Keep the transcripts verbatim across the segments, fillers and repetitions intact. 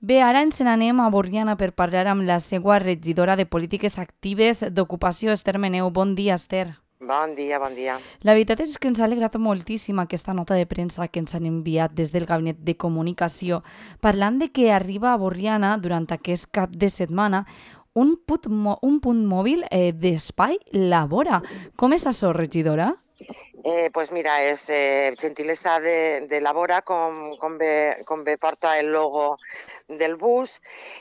Bé, ara ens n'anem a Borriana per parlar amb la seva regidora de Polítiques Actives d'Ocupació, Esther Meneu. Bon dia, Esther. Bon dia, bon dia. La veritat és que ens ha alegrat moltíssim aquesta nota de premsa que ens han enviat des del Gabinet de Comunicació, parlant de que arriba a Borriana durant aquest cap de setmana un punt, un punt mòbil eh, d'espai Labora. Com és això, regidora? Eh, pues mira, és eh, gentilesa de, de Labora, com, com, bé, com bé porta el logo del bus.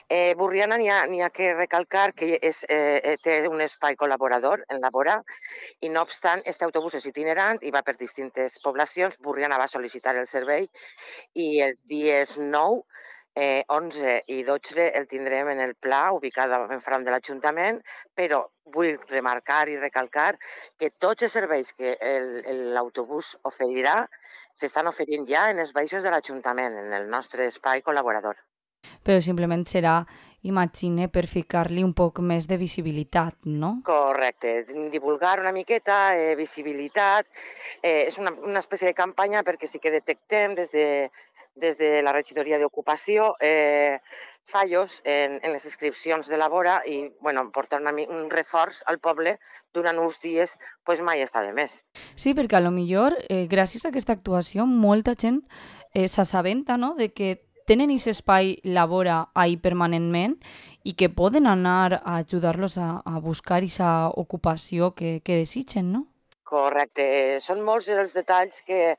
Eh, Borriana n'hi ha, n'hi ha que recalcar que és, eh, té un espai col·laborador en Labora i no obstant, este autobús és itinerant i va per distintes poblacions. Borriana va sol·licitar el servei i els dies nou, Eh, onze i dotze el tindrem en el Pla, ubicat enfront de l'Ajuntament, però vull remarcar i recalcar que tots els serveis que l'autobús oferirà s'estan oferint ja en els baixos de l'Ajuntament, en el nostre espai col·laborador. Però simplement serà, imagine, per ficar-li un poc més de visibilitat, no? Correcte, divulgar una miqueta, eh, visibilitat, eh, és una, una espècie de campanya perquè sí que detectem des de, des de la regidoria d'ocupació eh, fallos en, en les inscripcions de la vora i bueno, portar una, un reforç al poble durant uns dies pues, mai està de més. Sí, perquè a lo millor, eh, gràcies a aquesta actuació, molta gent eh, s'assabenta, no?, de que tenen aquest espai Labora ahí permanentment i que poden anar a ajudar-los a, a buscar aquesta ocupació que, que desitgen, no? Correcte. Són molts els detalls que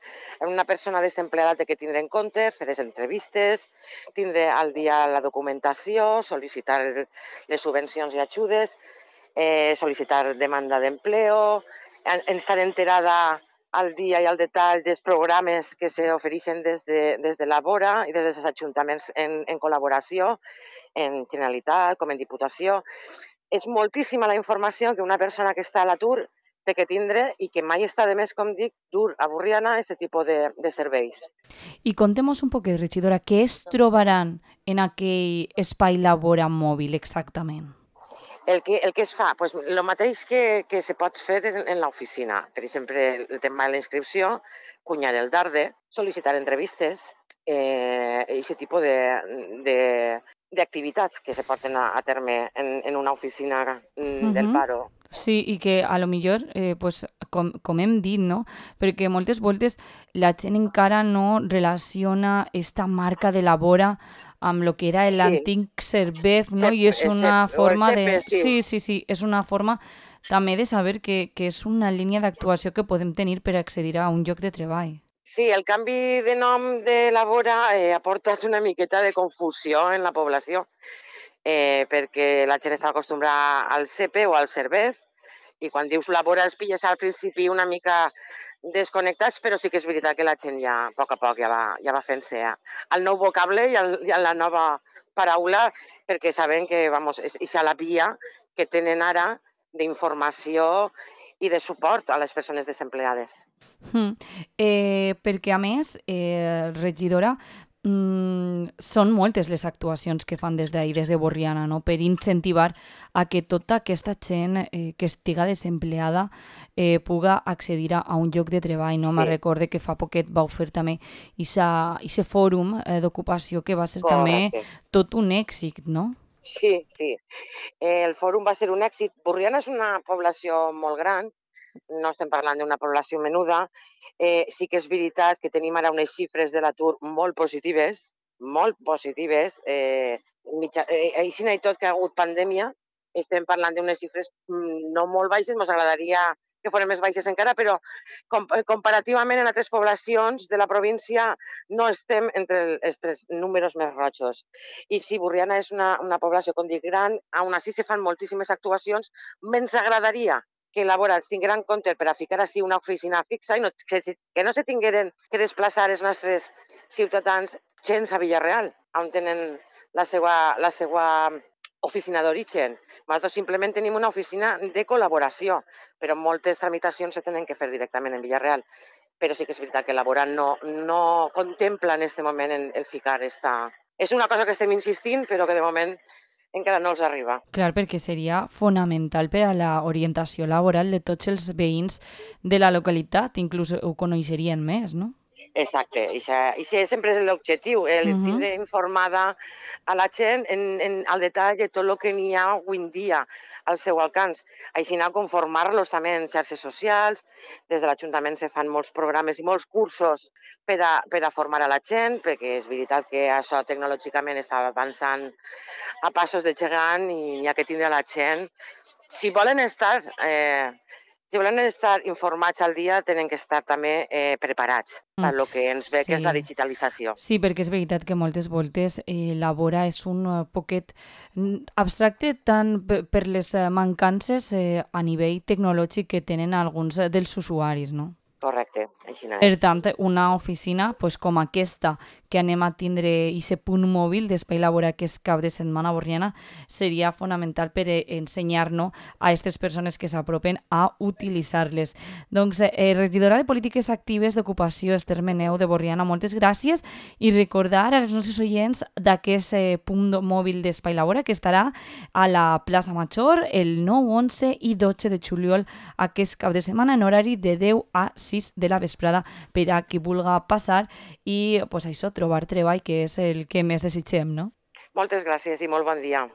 una persona desempleada té que tindre en compte, fer les entrevistes, tindre al dia la documentació, sol·licitar les subvencions i ajudes, eh, sol·licitar demanda d'empleo, estar enterada al dia i al detall dels programes que s'ofereixen des de, des de la vora i des dels ajuntaments en, en col·laboració, en Generalitat com en Diputació. És moltíssima la informació que una persona que està a l'atur té que tindre i que mai està de més, com dic, dur a Borriana aquest tipus de, de serveis. I contem-nos un poquet, regidora, què es trobaran en aquell espai Labora mòbil exactament? El que, el que es fa, pues, el mateix que, que se pot fer en, en l'oficina. Per exemple, el tema de la inscripció, cunyar el darde, sol·licitar entrevistes, eh, aquest tipus de, de, d'activitats que se porten a, a terme en, en una oficina mm, del Uh-huh. paro. Sí, i que a lo millor, eh, pues, com, com hem dit, no? Perquè moltes voltes la gent encara no relaciona esta marca de Labora amb lo que era Sí, l'antic Servef, no? Cep, I és eh, una Cep, o el forma de... C P, sí. Sí, sí, sí, és una forma també de saber que, que és una línia d'actuació que podem tenir per accedir a un lloc de treball. Sí, el canvi de nom de Labora eh, ha portat una miqueta de confusió en la població, eh, perquè la gent està acostumbrada al C P o al Servef, i quan dius Labora els pilles al principi una mica desconnectats, però sí que és veritat que la gent ja, a poc a poc, ja va, ja va fent-se al nou vocable i, al, i a la nova paraula, perquè saben que vamos, és, és a la via que tenen ara d'informació i de suport a les persones desempleades. Mm. Eh, perquè, a més, eh, regidora, mm, són moltes les actuacions que fan des d'ahir, des de Borriana, no? Per incentivar a que tota aquesta gent eh, que estiga desempleada eh, puga accedir a, a un lloc de treball. No? Sí. Me recorde que fa poquet vau fer també aquest fòrum eh, d'ocupació que va ser Correcte. també tot un èxit, no? Sí, sí. Eh, el fòrum va ser un èxit. Borriana és una població molt gran, no estem parlant d'una població menuda. Eh, sí que és veritat que tenim ara unes xifres de l'atur molt positives, molt positives. Eh, mitja, eh, així i tot que ha hagut pandèmia, estem parlant d'unes xifres no molt baixes, ens agradaria que foren més baixes encara, però com, comparativament en altres poblacions de la província no estem entre els tres números més rojos. I si Borriana és una, una població, com dic, gran, aún així se fan moltíssimes actuacions. Ens agradaria que Labora es tinguera en compte per a ficar així una oficina fixa i no, que, que no se tingueren que desplaçar els nostres ciutadans gens a Villarreal, on tenen la seva, la seva oficina d'origen. Nosaltres simplement tenim una oficina de col·laboració, però moltes tramitacions se tenen que fer directament en Villarreal. Però sí que és veritat que Labora no, no contempla en aquest moment el, el ficar esta... És una cosa que estem insistint, però que de moment encara no els arriba. Clar, perquè seria fonamental per a l'orientació laboral de tots els veïns de la localitat, inclús ho coneixerien més, no? Exacte, i això sempre és l'objectiu, el Mhm. tindre informada a la gent en, en, al detall de tot el que n'hi ha avui en dia al seu alcance. Així anar a conformar-los també en xarxes socials, des de l'Ajuntament se fan molts programes i molts cursos per a, per a formar a la gent, perquè és veritat que això tecnològicament està avançant a passos de gegant i n'hi ha que tindre la gent. Si volen estar... Eh, Si volen estar informats al dia, tenen que estar també eh, preparats per Mm. lo que ens ve, que és la Sí. digitalització. Sí, perquè és veritat que moltes voltes eh, la vora és un eh, poquet mm, abstracte tant pe- per les eh, mancances eh, a nivell tecnològic que tenen alguns eh, dels usuaris, no? Correcte, així no Per és. tant, una oficina pues, com aquesta que anem a tindre aquest punt mòbil d'Espai Labora que és cap de setmana a Borriana seria fonamental per eh, ensenyar-nos a aquestes persones que s'apropen a utilitzar-les. Doncs, eh, regidora de Polítiques Actives d'Ocupació, Esther Meneu de Borriana, moltes gràcies i recordar als nostres oients d'aquest eh, punt mòbil d'Espai Labora que estarà a la plaça Major el nou, onze i dotze de juliol aquest cap de setmana en horari de deu a sis de la vesprada per a qui vulga passar i pues, això, trobar treball, que és el que més desitgem, no? Moltes gràcies i molt bon dia.